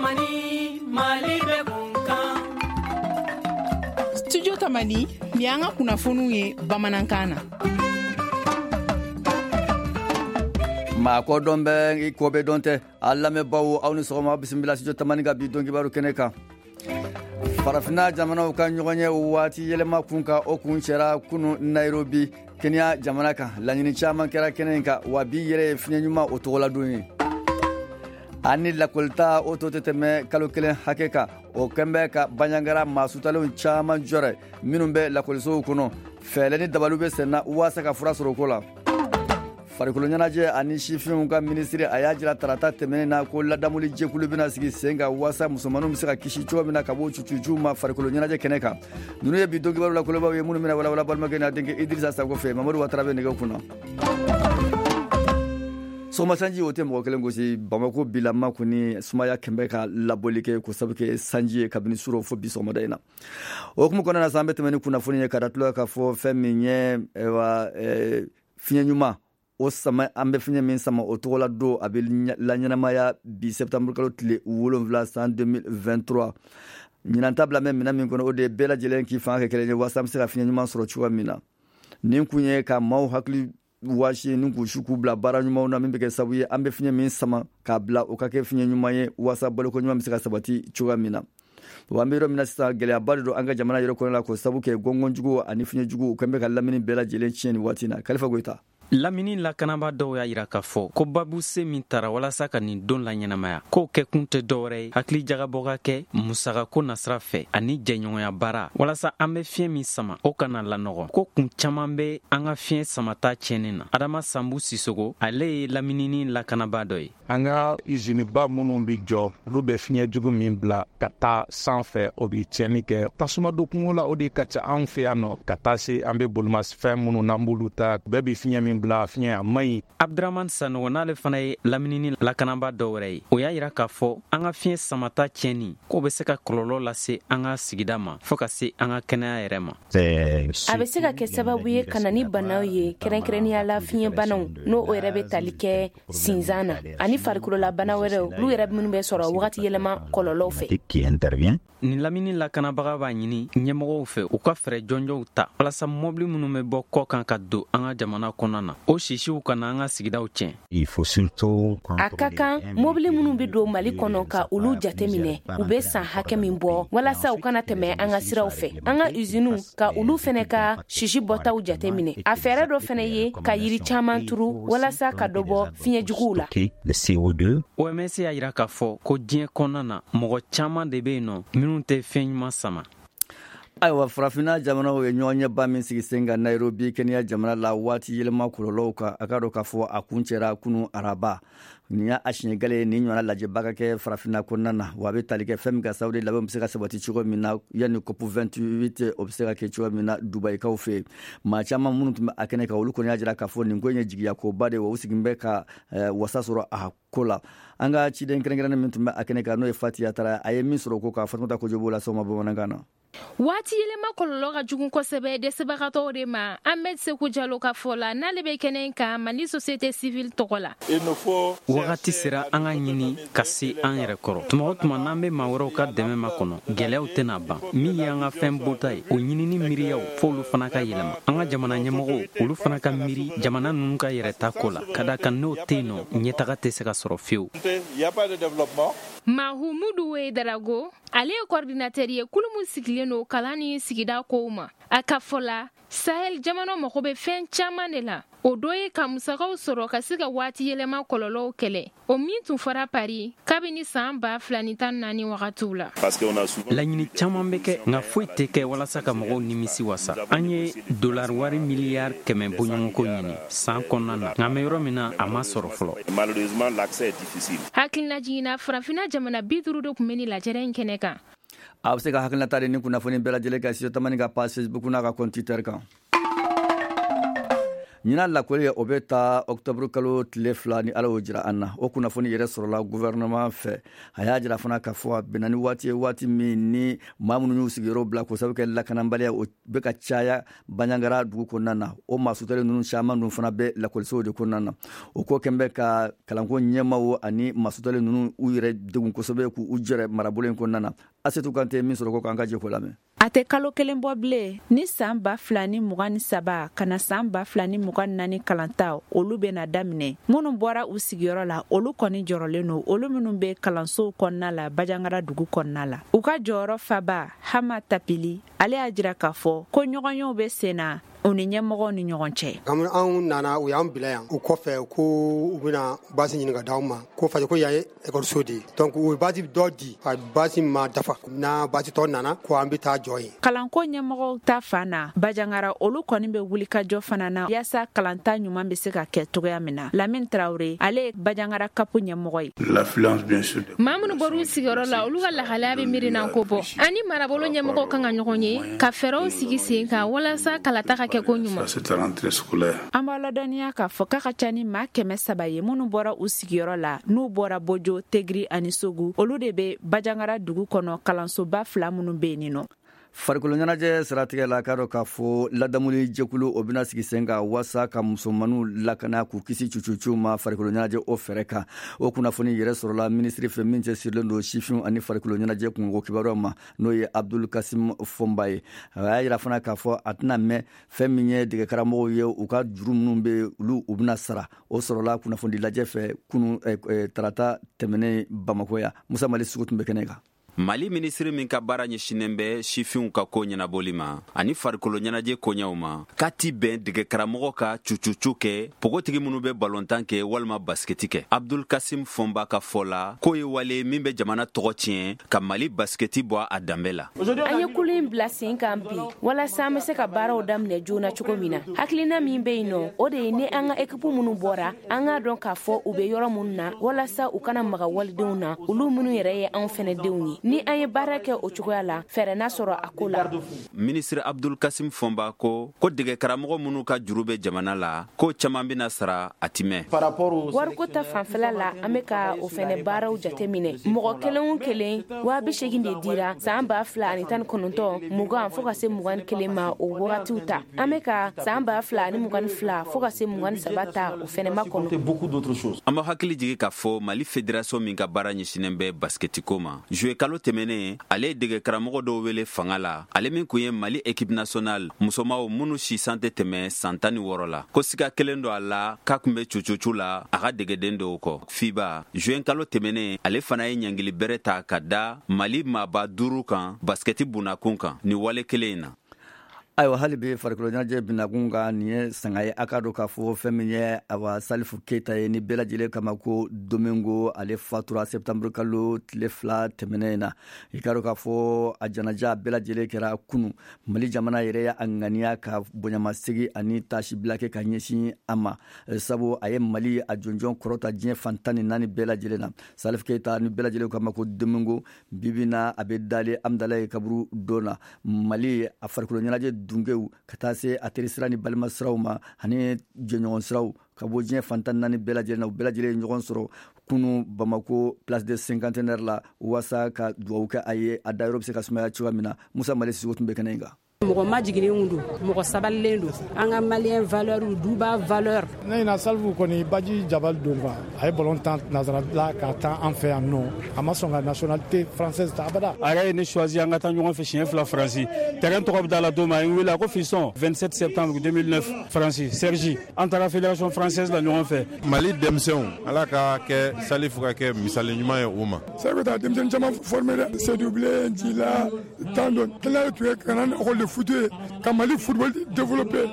Tamani, Mali bɛ kun kan. Studio Tamani, nin y'an ka kunnafoniw ye bamanankan na. Maa ko dɔn bɛ i ko bɛ dɔn tɛ. A lamɛnbaw, aw ni sɔgɔma, bisimila Studio Tamani ka bi don kibaru kɛnɛ kan. Farafinna jamanaw ka ɲɔgɔn ye waati yɛlɛma kun kan, o kun cɛra kunu Nairobi, Kenya jamana kan. Laɲini caman kɛra kɛnɛ in kan, wa bi yɛrɛ ye fiɲɛ ɲuman o tɔgɔladon ye. Ani lakɔlita o to tɛ tɛmɛ kalo 1 hakɛ kan, o kɛn bɛ ka Banjagara maa sutalenw caman jɔrɛ minnu bɛ lakɔlisow kɔnɔ. Fɛɛrɛ ni dabaliw bɛ senna waasa ka fura sɔrɔ o ko la. Farikolo ɲɛnajɛ ani sifinw ka minisiri, a y'a jira tarata tɛmɛnen na ko ladamuli jɛkulu bɛna sigi sen kan waasa musomaninw bɛ se ka kisi cogo min na ka bɔ cucujuw ma farikolo ɲɛnajɛ kɛnɛ kan. Ninnu ye bi don kibaru la kolobaw ye minnu bɛna walawala balimakɛ n'a denkɛ Idirisa Sako fɛ. Mamadu Watara bɛ nɛgɛ kunna. Sɔgɔma sanji o tɛ mɔgɔ kelen gosi. Bamako bilama kɔni, sumaya kɛnbɛ ka labɔli kɛ ko sabu kɛ sanji ye kabini surɔ fo bi sɔgɔmada in na. O hukumu kɔnɔna na sa, an bɛ tɛmɛ ni kunnafoni ye ka da tulo k'a fɔ fɛn min ye, ayiwa, fiɲɛ ɲuman o sama, an bɛ fiɲɛ min sama, o tɔgɔla don a bɛ laɲɛnamaya bi septembre kalo tile 7 san 2023. Ɲinan ta bila mɛ minɛn min kɔnɔ, o de ye bɛɛ lajɛlen k'i fanga kɛ kelen ye waasa an bɛ se ka fiɲɛ ɲuman sɔrɔ cogoya min na. Nin kun ye ka maaw hakili waasi ni k'u su k'u bila baara ɲumanw na min bɛ kɛ sababu ye an bɛ fiɲɛ min sama k'a bila, o ka kɛ fiɲɛ ɲuman ye waasa baloko ɲuman bɛ se ka sabati cogoya min na. Wa an bɛ yɔrɔ min na sisan, gɛlɛyaba de don an ka jamana yɛrɛ kɔnɔ la, k'o sababu kɛ gɔngɔnjugu ani fiɲɛjugu kɛn bɛ ka lamini bɛɛ lajɛlen tiɲɛ nin waati in na. Kalifa Goyita. Lamini lakanaba dɔw y'a yira k'a fɔ ko babuse min tara walasa ka nin don laɲɛnamaya, k'o kɛkun tɛ dɔwɛrɛ ye hakili jagabɔ ka kɛ musakako nasira fɛ ani jɛɲɔgɔnya baara walasa an bɛ fiɲɛ min sama, o kana lanɔgɔ. Ko kun caaman bɛ an ka fiɲɛ samata tiɲɛni na. Adama Sanbu Sisogo, ale ye laminini lakanaba dɔ ye. An ka iziniba minnu bɛ jɔ, olu bɛ fiɲɛ jugu min bila ka taa sanfɛ, o bɛ tiɲɛni kɛ. Tasuma don kungo la, o de ka ca anw fɛ yan nɔ, ka taa se an bɛ bolimafɛn minnu n'an b'olu ta, bɛɛ bɛ fiɲɛ min bila, fiɲɛ a man ɲi. Abdurahman Sanogo, n'ale fana ye laminini lakanaba dɔ wɛrɛ ye, o y'a yira k'a fɔ an ka fiɲɛ samata tiɲɛni k'o bɛ se ka kɔlɔlɔ lase an ka sigida ma fɔɔ ka se an ka kɛnɛya yɛrɛ ma. A bɛ se ka kɛ sababu ye ka na ni banaw ye, kɛrɛnkɛrɛnnenya la fiɲɛbanaw, n'o o yɛrɛ bɛ tali kɛ sinzan na, ani farikololabana wɛrɛw, olu yɛrɛ minnu bɛ sɔrɔ wagati yɛlɛma kɔlɔlɔw fɛ. Nin lamini lakanabaga b'a ɲini ɲɛmɔgɔw fɛ u ka fɛɛrɛ jɔnjɔnw ta walasa mɔbili minnu bɛ bɔ kɔ kan ka don an ka jamana kɔnɔna na, o sisiw kana an ka sigidaw tiɲɛ. A ka kan mobili minnu bɛ don Mali kɔnɔ, ka olu jateminɛ, u bɛ san hakɛ min bɔ, walasa u kana tɛmɛ an ka siraw fɛ. An ka usiniw, ka olu fɛnɛ ka sisi bɔtaw jateminɛ. A fɛɛrɛ dɔ fɛnɛ ye ka yiri caman turu walasa ka dɔ bɔ fiɲɛ juguw la. OMS y'a yira k'a fɔ ko diɲɛ kɔnɔna na, mɔgɔ caman de bɛ yen nɔ minnu tɛ fɛn ɲuman sama. Ayiwa, Farafinna jamanaw ye ɲɔgɔn ɲɛba min sigi sen kan Nairobi, Kenya jamana la, waati yɛlɛma kɔlɔlɔw kan, a ka dɔn k'a fɔ a kun cɛra kunu araba. Nin y'a siɲɛ gale ye nin ɲɔgɔnna lajɛba ka kɛ Farafinna kɔnɔna na. Wa a bɛ tali kɛ fɛn min ka sababu de labɛnw bɛ se ka sabati cogo min na yanni COP 28 o bɛ se ka kɛ cogo min na Dubayikaw fɛ yen. Maa caman minnu tun bɛ a kɛnɛ kan, olu kɔni y'a jira k'a fɔ nin ko in ye jigiyakoba de ye, wa u sigin bɛ ka wasa sɔrɔ a ko la. An ka ciden kɛrɛnkɛrɛnnen min tun bɛ a kɛnɛ kan, n'o ye Fatiya Tara, a ye min sɔrɔ ko ka Fatumata Kojo b'o la sɔgɔma bamanankan na. Waati yɛlɛma kɔlɔlɔ ka jugu kosɛbɛ dɛsɛbagatɔw de ma. Ahmed Seku Jalo ka fɔ la, n'ale bɛ kɛnɛ kan Mali société civile tɔgɔ la. Wagati sera an ka ɲini ka se an yɛrɛ kɔrɔ. Tuma o tuma n'an bɛ maa wɛrɛw ka dɛmɛ ma kɔnɔ, gɛlɛyaw tɛna ban. Min ye an ka fɛn bɔta ye, o ɲinini miiriyaw, f'olu fana ka yɛlɛma. An ka jamana ɲɛmɔgɔw, olu fana ka miiri jamana ninnu ka yɛrɛta ko la, ka da kan n'o tɛ yen nɔ, ɲɛtaga tɛ se ka sɔrɔ fiyewu. Mahumudu Darago, ale ye coordinateur ye kulu min sigilen don kalan ni sigida kow ma. A ka fɔ la, Sahel jamana mago bɛ fɛn caman de la, o dɔ ye ka musakaw sɔrɔ ka se ka waati yɛlɛma kɔlɔlɔw kɛlɛ, o min tun fɔra Paris kabini san 2014 wagatiw la. Laɲini caman bɛ kɛ, nka foyi tɛ kɛ walasa ka mɔgɔw nimisi wasa. An ye dolari wari miliyari 100 bɔɲɔgɔnko ɲini san kɔnɔna na, nka an bɛ yɔrɔ min na, a ma sɔrɔ fɔlɔ. Hakilina jiginna, Farafinna jamana 50 de tun bɛ nin lajɛrɛ in kɛnɛ kan. A bɛ se ka hakilinata di ni kunnafoni bɛɛ lajɛlen kan Studio Tamani ka page Facebook n'a ka compte Twitter kan. Ɲinan lakɔli, o bɛ ta octobre kalo tile 2, ni Ala y'o jira an na. O kunnafoni yɛrɛ sɔrɔla gouvernement fɛ. A y'a jira fana k'a fɔ a bɛnna ni waati ye, waati min ni maa minnu y'u sigiyɔrɔ bila k'o sababu kɛ lakanabaliya, o bɛ ka caya Banjagara dugu kɔnɔna na. O maa sutalen ninnu caman dun fana bɛ lakɔlisow de kɔnɔna na. O ko kɛn bɛ ka kalanko ɲɛmaw ani maa sutalen ninnu u yɛrɛ degun kosɛbɛ, k'u jɛrɛ marabolo in kɔnɔna na. Asetu Kante min sɔrɔ ko k'an ka jɛ k'o lamɛn. A tɛ kalo kelen bɔ bilen ni san 2023 ka na san 2024 kalanta, olu bɛna daminɛ. Minnu bɔra u sigiyɔrɔ la, olu kɔni jɔrɔlen don. Olu minnu bɛ kalansow kɔnɔna la Bajangara dugu kɔnɔna la, u ka jɔyɔrɔ faba Hama Tapili, ale y'a jira k'a fɔ ko ɲɔgɔnyew bɛ sen na u ni ɲɛmɔgɔw ni ɲɔgɔn cɛ. Anw nana, u y'an bila yan. O kɔfɛ, ko u bɛna basi ɲini ka d'anw ma, ko fasi ko yan ye ekɔliso de ye. Donc u ye basi dɔ di, a basi ma dafa. N'a basi tɔ nana, ko an bɛ taa jɔ yen. Kalanko ɲɛmɔgɔw ta fan na Bajangara, olu kɔni bɛ wulikajɔ fana na yaasa kalanta ɲuman bɛ se ka kɛ cogoya min na. Lamine Traoré, ale ye Bajangara CAP ɲɛmɔgɔ ye. Maa minnu bɔr'u sigiyɔrɔ la, olu ka lahalaya bɛ miirinan ko bɔ. Ani marabolo ɲɛmɔgɔw kan ka ɲɔgɔn ye ka fɛɛrɛw sigi sen kan walasa kalata ka kɛ ko ɲuman. An b'a ladɔnniya k'a fɔ k'a ka ca ni maa 300 ye minnu bɔra u sigiyɔrɔ la, n'u bɔra Bojo, Tegiri ani Sogu. Olu de bɛ Bajangara dugu kɔnɔ, kalansoba fila minnu bɛ yen nɔ. Farikolo ɲɛnajɛ siratigɛ la, k'a dɔn k'a fɔ ladamuli jɛkulu, o bɛna sigi sen kan waasa ka musomaninw lakana, k'u kisi cucucu ma farikolo ɲɛnajɛ o fɛɛrɛ kan. O kunnafoni yɛrɛ sɔrɔla minisiri fɛ min cɛ sirilen don sifinw ani farikolo ɲɛnajɛ kungo kibaruyaw ma, n'o ye Abdul Kasim Fɔnba ye. A y'a yira fana k'a fɔ a tɛna mɛn, fɛn min ye dɛgɛkaramɔgɔw ye, u ka juru minnu bɛ, olu u bɛna sara. O sɔrɔla kunnafonidi lajɛ fɛ kunu tarata tɛmɛnen Bamakɔ yan. Musa Mali sugu tun bɛ kɛnɛ kan. Mali minisiri min ka baara ɲɛsinnen bɛ sifinw ka ko ɲɛnabɔli ma ani farikolo ɲɛnajɛ koɲɛw ma, k'a ti bɛn dɛgɛkaramɔgɔ ka cucucu kɛ pogotigi minnu bɛ balontan kɛ walima basikɛti kɛ. Abdul Kasim Fɔnba ka fɔ la, k'o ye wale min bɛ jamana tɔgɔ tiɲɛ, ka Mali basikɛti bɔ a danbe la. An ye kulu in bila sen kan bi walasa an bɛ se ka baaraw daminɛ joona cogo min na. Hakilina min bɛ yen nɔ, o de ye ni an ka ekipu minnu bɔra, an k'a dɔn k'a fɔ u bɛ yɔrɔ minnu na, walasa u kana maga walidenw na, olu minnu yɛrɛ ye anw fɛnɛ denw ye. Ni an ye baara kɛ o cogoya la, fɛɛrɛ na sɔrɔ a ko la. Minisiri Abdul Kasim Fɔnba ko dɛgɛkaramɔgɔ minnu ka juru bɛ jamana la, ko caman bɛna sara, a ti mɛn. Wariko ta fanfɛla la, an bɛ ka o fɛnɛ baaraw jateminɛ. Mɔgɔ kelen o kelen 80 000 de dira san 2019, 20 fo ka se 21 ma, o wagatiw ta. An bɛ ka san 2022 fo ka se 23 ta, o fɛnɛ ma kɔnɔ. An b'a hakili jigi k'a fɔ Mali fédération min ka baara ɲɛsinnen bɛ basikɛtiko ma, juillet kalo tɛmɛnen, ale ye dɛgɛ karamɔgɔ dɔw wele fanga la, ale min kun ye Mali équipe nationale musomaw minnu si san tɛ tɛmɛ san 16 la, ko siga kelen don a la k'a kun bɛ cucucu la a ka dɛgɛden dɔw kɔ. FIBA, juin kalo tɛmɛnen, ale fana ye ɲangili bɛrɛ ta ka da Mali maaba duuru kan basikɛti bunakun kan nin wale kelen in na. Ayiwa, hali bi farikolo ɲɛnajɛ binakun kan, nin ye sanga ye. A k'a dɔn k'a fɔ fɛn min ye, awa, Salifu Keyita ye, ni bɛɛ lajɛlen kama ko Domingo, ale fatura septembre kalo tile 2 tɛmɛnen in na. I k'a dɔn k'a fɔ a janaja bɛɛ lajɛlen kɛra kunu. Mali jamana yɛrɛ ye a ŋaniya ka bonyamasegi ani tasibila kɛ ka ɲɛsin a ma, sabu a ye Mali a jɔnjɔn kɔrɔta diɲɛ fan 14 bɛɛ lajɛlen na. Salifu Keyita, ni bɛɛ lajɛlen kama ko Domingo, bibi na a bɛ dalen Amdalaye kaburu don na. Mali a farikolo ɲɛnajɛ dungew, ka taa se a terisira ni balimasiraw ma ani jɛɲɔgɔn siraw ka bɔ diɲɛ fan 14 bɛɛ lajɛlen na, u bɛɛ lajɛlen ye ɲɔgɔn sɔrɔ kunu Bamako Place de Cinquantenaire la waasa ka dugawu kɛ a ye, a dayɔrɔ bɛ se ka sumaya cogoya min na. Musa Mali Sisoko tun bɛ kɛnɛ in kan. Mɔgɔ majiginnen don, mɔgɔ sabalilen don, an ka malien valeur, duba valeur. Ne ɲina Salifu kɔni baji jabali don quoi. A ye ballon tan nazara la ka tan an fɛ yan nɔ, a ma sɔn ka nationalité française ta abada. A yɛrɛ ye ne choisi an ka taa ɲɔgɔn fɛ siɲɛ fila Faransi. Terrain tɔgɔ bɛ da la don min, a ye n wele, a ko: "Fiston, 27 septembre 2009, Faransi, Cergy, an taara fédération française la ɲɔgɔn fɛ." Mali denmisɛnw, Ala ka kɛ Salifu ka kɛ misali ɲuman ye u ma. Salifu ta denmisɛnnin caman formé dɛ, Seydou Bilen, Jila, tan dɔ tila tun ye ka na école de foot ye ka Mali football développé.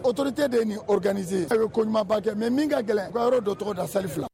Autorité de ye nin organiser, a bɛ ko ɲumanba kɛ, mais min ka gɛlɛn, u ka yɔrɔ dɔ tɔgɔ da Salifu la.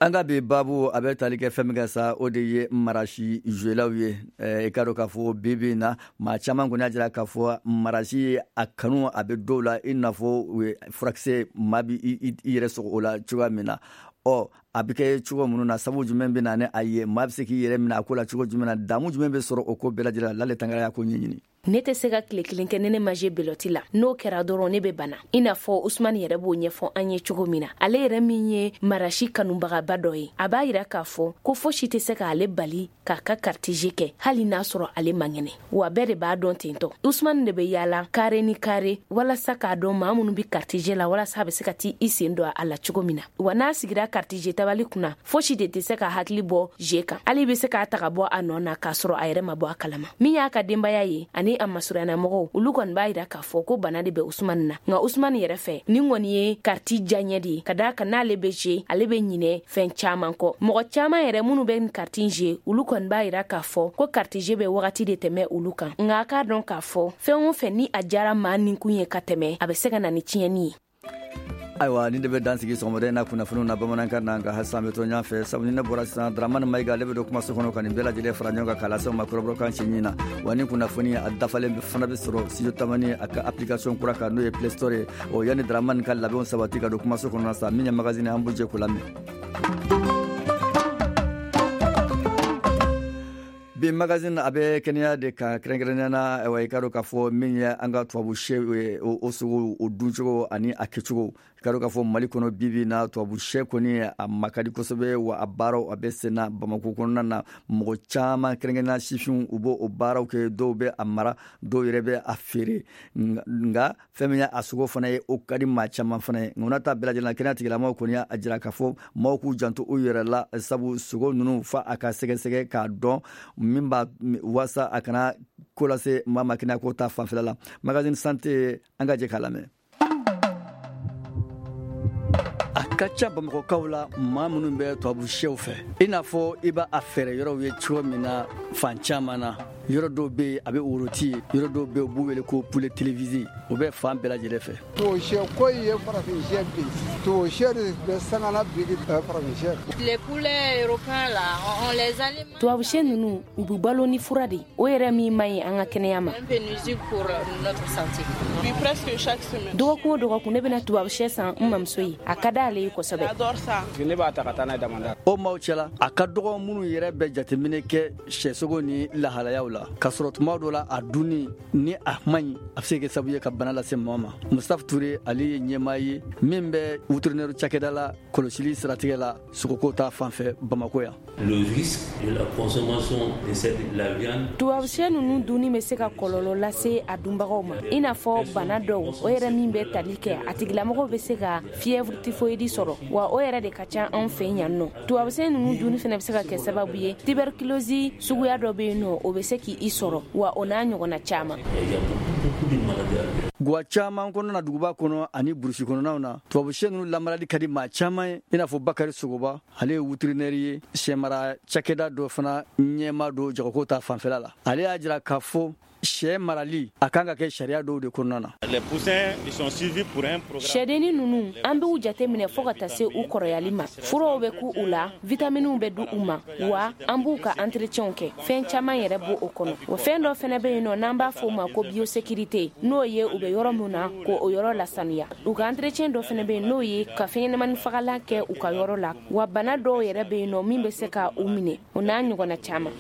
An ka bi babu, a bɛ tali kɛ fɛn min kɛ sa, o de ye marasi zuwelaw ye. I k'a dɔn k'a fɔ bi bi in na, maa caman kɔni y'a jira k'a fɔ marasi a kanu a bɛ dɔw la, i n'a fɔ furakisɛ, maa bi i yɛrɛ sɔgɔ o la cogoya min na. Ɔ A bɛ kɛ cogo minnu na, sabu jumɛn bɛ na ni a ye, maa bɛ se k'i yɛrɛ minɛ a ko la cogo jumɛn na, damu jumɛn bɛ sɔrɔ o ko bɛɛ lajɛlen la. Lale Tangara y'a ko ɲɛɲini. Ne tɛ se ka tile kelen kɛ ni ne ma jouer belote la. N'o kɛra dɔrɔn, ne bɛ bana, i n'a fɔ Usumani yɛrɛ b'o ɲɛfɔ an ye cogo min na. Ale yɛrɛ min ye marasi kanubagaba dɔ ye, a b'a yira k'a fɔ ko fosi tɛ se k'ale bali k'a ka carte jeu kɛ, hali n'a sɔrɔ ale man kɛnɛ. Wa bɛɛ de b'a dɔn tentɔ, Usumani de bɛ yaala carré ni carré walasa k'a dɔn maa minnu bɛ carte jeu la, walasa a bɛ se ka t'i i sen don a la cogo min na. Wa n'a sigira carte jeu tabali kunna, fosi de tɛ se ka hakili bɔ jeu kan. Hali bɛ se k'a ta ka bɔ a nɔ na k'a sɔrɔ a yɛrɛ ma bɔ a kalama. Min y'a ka denbaya ye ani a masurunnamɔgɔw, olu kɔni b'a yira k'a fɔ ko bana de bɛ Usumani na. Nka Usumani yɛrɛ fɛ, nin kɔni ye kariti diyaɲɛ de ye, ka d'a kan n'ale bɛ jouer, ale bɛ ɲinɛ fɛn caman kɔ. Mɔgɔ caman yɛrɛ minnu bɛ kariti jouer, olu kɔni b'a yira k'a fɔ ko kariti jeu bɛ wagati de tɛmɛ olu kan. Nka a k'a dɔn k'a fɔ fɛn o fɛn ni a diyara maa ninkun ye ka tɛmɛ, a bɛ se ka na ni tiɲɛni ye. Ayiwa, nin de bɛ dan sigi sɔgɔmada in na kunnafoniw na bamanankan na. Nka halisa an bɛ to ɲɔgɔn fɛ, sabu ni ne bɔra sisan, Dramani Mayiga, ale bɛ don kumaso kɔnɔ ka nin bɛɛ lajɛlen fara ɲɔgɔn kan k'a lase aw ma kɔrɔbɔrɔkan cɛɲi na. Wa ni kunnafoni a dafalen fana bɛ sɔrɔ Studio Tamani a ka application kura kan, n'o ye Play Store ye. O yanni Dramani ka labɛnw sabati ka don kumaso kɔnɔ sa, min ye magazine, an b'u jɛ k'o lamɛn. Bi magazine, a bɛ kɛnɛya de kan, kɛrɛnkɛrɛnnenya na. Ayiwa, i ka dɔn k'a fɔ min ye an ka tubabu sɛ ye, o sogo, o duncogo ani a kɛcogo. I ka dɔn k'a fɔ Mali kɔnɔ bi bi na, tubabu sɛ kɔni a ma ka di kosɛbɛ, wa a baaraw a bɛ sen na Bamako kɔnɔna na. Mɔgɔ caman, kɛrɛnkɛrɛnnenya sifinw, u b'o o baaraw kɛ. Dɔw bɛ a mara, dɔw yɛrɛ bɛ a feere. Nka fɛn min ye a sogo fana ye, o ka di maa caman fana ye. Nka o n'a ta bɛɛ lajɛlen na, kɛnɛya tigilamɔgɔw kɔni y'a jira k'a fɔ maaw k'u janto u yɛrɛ la, sabu sogo ninnu fa a ka sɛgɛsɛgɛ k'a dɔn min b'a waasa a kana ko lase maa ma kɛnɛyako ta fanfɛla la. Magazine santé, an ka jɛ k'a lamɛn. A ka ca Bamakɔkaw la, maa minnu bɛ tubabu sɛw fɛ, i n'a fɔ i b'a a fɛɛrɛ yɔrɔw ye cogo min na fan caman na. Yɔrɔ dɔw bɛ yen, a bɛ woroti ye. Yɔrɔ dɔw bɛ yen, u b'u wele ko poulet télévisé. O bɛ fan bɛɛ lajɛlen fɛ. Tubabu sɛ ko in ye farafin sɛ bi, tubabu sɛ de bɛ sangana bi farafin sɛ. Les poulets européens là, on les alimente. Tubabu sɛ ninnu, u bɛ balo ni fura de, o yɛrɛ min man ɲi an ka kɛnɛya ma. Un peu nuisible pour notre santé. Oui, presque chaque semaine. Dɔgɔkun o dɔgɔkun, ne bɛna tubabu sɛ san n mamuso ye. A ka d'ale ye kosɛbɛ. J'adore ça. Ne b'a ta ka taa n'a ye damanda. O maaw cɛla, a ka dɔgɔ minnu yɛrɛ bɛ jateminɛ kɛ sɛsogo ni lahalayaw la, k'a sɔrɔ tuma dɔ la, a dunni ni a man ɲi, a bɛ se ka kɛ sababu ye ka bana lase maa ma. Mustafa Ture, ale ye ɲɛmaa ye min bɛ vétérinaire cakɛda la kɔlɔsili siratigɛ la sogoko ta fanfɛ Bamako yan. Le risque de la consommation de cette la viande. Tubabu sɛ ninnu dunni bɛ se ka kɔlɔlɔ lase a dunbagaw ma, i n'a fɔ bana dɔw, o yɛrɛ min bɛ tali kɛ a tigilamɔgɔw bɛ se ka fièvre typhoïde sɔrɔ, wa o yɛrɛ de ka ca anw fɛ yan nɔ. Tubabu sɛ ninnu dunni fana bɛ se ka kɛ sababu ye, tuberculose suguya dɔ bɛ yen nɔ, o bɛ se k'i sɔrɔ, wa o n'a ɲɔgɔnna caman. Gwa caman kɔnɔna na, duguba kɔnɔ ani burusi kɔnɔnaw na, tubabu sɛ ninnu lamarali ka di maa caman ye, i n'a fɔ Bakari Sogoba. Ale ye vétérinaire ye, sɛmara cakɛda dɔ fana ɲɛma don jagoko ta fanfɛla la. Ale y'a jira k'a fɔ sɛ marali a kan ka kɛ sariya dɔw de kɔnɔna na. Sɛdenni ninnu, an b'u jate minɛ fɔɔ ka taa se u kɔrɔyali ma. Furaw bɛ k'u u la, vitaminiw bɛ di u ma, wa an b'u ka entretien kɛ. Fɛn caman yɛrɛ b'o o kɔnɔ. O fɛn dɔ fɛnɛ bɛ yen nɔ n'an b'a fɔ o ma ko biosécurité, n'o ye u bɛ yɔrɔ min na, k'o o yɔrɔ lasanuya. U ka entretien dɔ fɛnɛ bɛ yen, n'o ye ka fɛnɲɛnamani fagalan kɛ u ka yɔrɔ la. Wa bana dɔw yɛrɛ bɛ yen nɔ min bɛ se ka u minɛ, o n'a ɲɔgɔnna caman.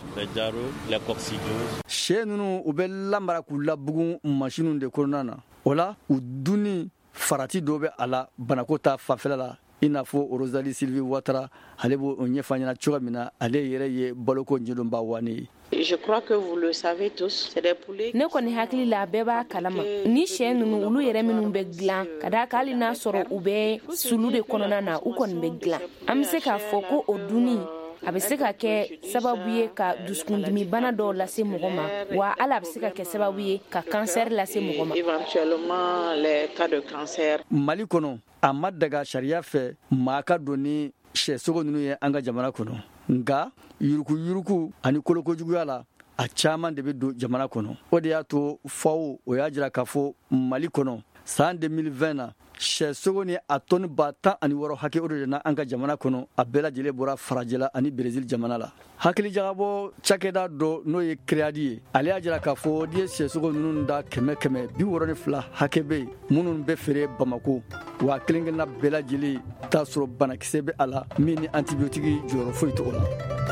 Sɛ ninnu, u bɛ lamara k'u labugun masiniw de kɔnɔna na. O la, u dunni farati dɔ bɛ a la banako ta fanfɛla la, i n'a fɔ Rosalie Sylvie Watara, ale b'o ɲɛfɔ an ɲɛna cogo min na. Ale yɛrɛ ye baloko ɲɛdɔnba wani ye. Je crois que vous le savez tous, c'est des poulets. Ne kɔni hakili la, bɛɛ b'a kalama ni sɛ ninnu, olu yɛrɛ minnu bɛ dilan, ka d'a kan hali n'a sɔrɔ u bɛ sulu de kɔnɔna na, u kɔni bɛ dilan. An bɛ se k'a fɔ ko o dunni a bɛ se ka kɛ sababu ye ka dusukundimi bana dɔw lase mɔgɔ ma, wa hali a bɛ se ka kɛ sababu ye ka kansɛri lase mɔgɔ ma. Éventuellement les cas de cancer. Mali kɔnɔ, a ma daga sariya fɛ maa ka don ni sɛsogo ninnu ye an ka jamana kɔnɔ. Nka yurukuyuruku ani kolokojuguya la, a caman de bɛ don jamana kɔnɔ. O de y'a to FAO, o y'a jira k'a fɔ Mali kɔnɔ, san 2020 na, Sɛsogo ni a tɔni 16,000 hakɛ, o de na an ka jamana kɔnɔ. A bɛɛ lajɛlen bɔra farajɛla ani Berezil jamana la. Hakilijagabɔ cakɛda dɔ, n'o ye CREAD ye, ale y'a jira k'a fɔ n'i ye sɛsogo ninnu da kɛmɛ kɛmɛ, 62 hakɛ bɛ yen minnu bɛ feere Bamako wa, kelen kelenna bɛɛ lajɛlen t'a sɔrɔ banakisɛ bɛ a la min ni antibiyotiki jɔyɔrɔ foyi t'o la.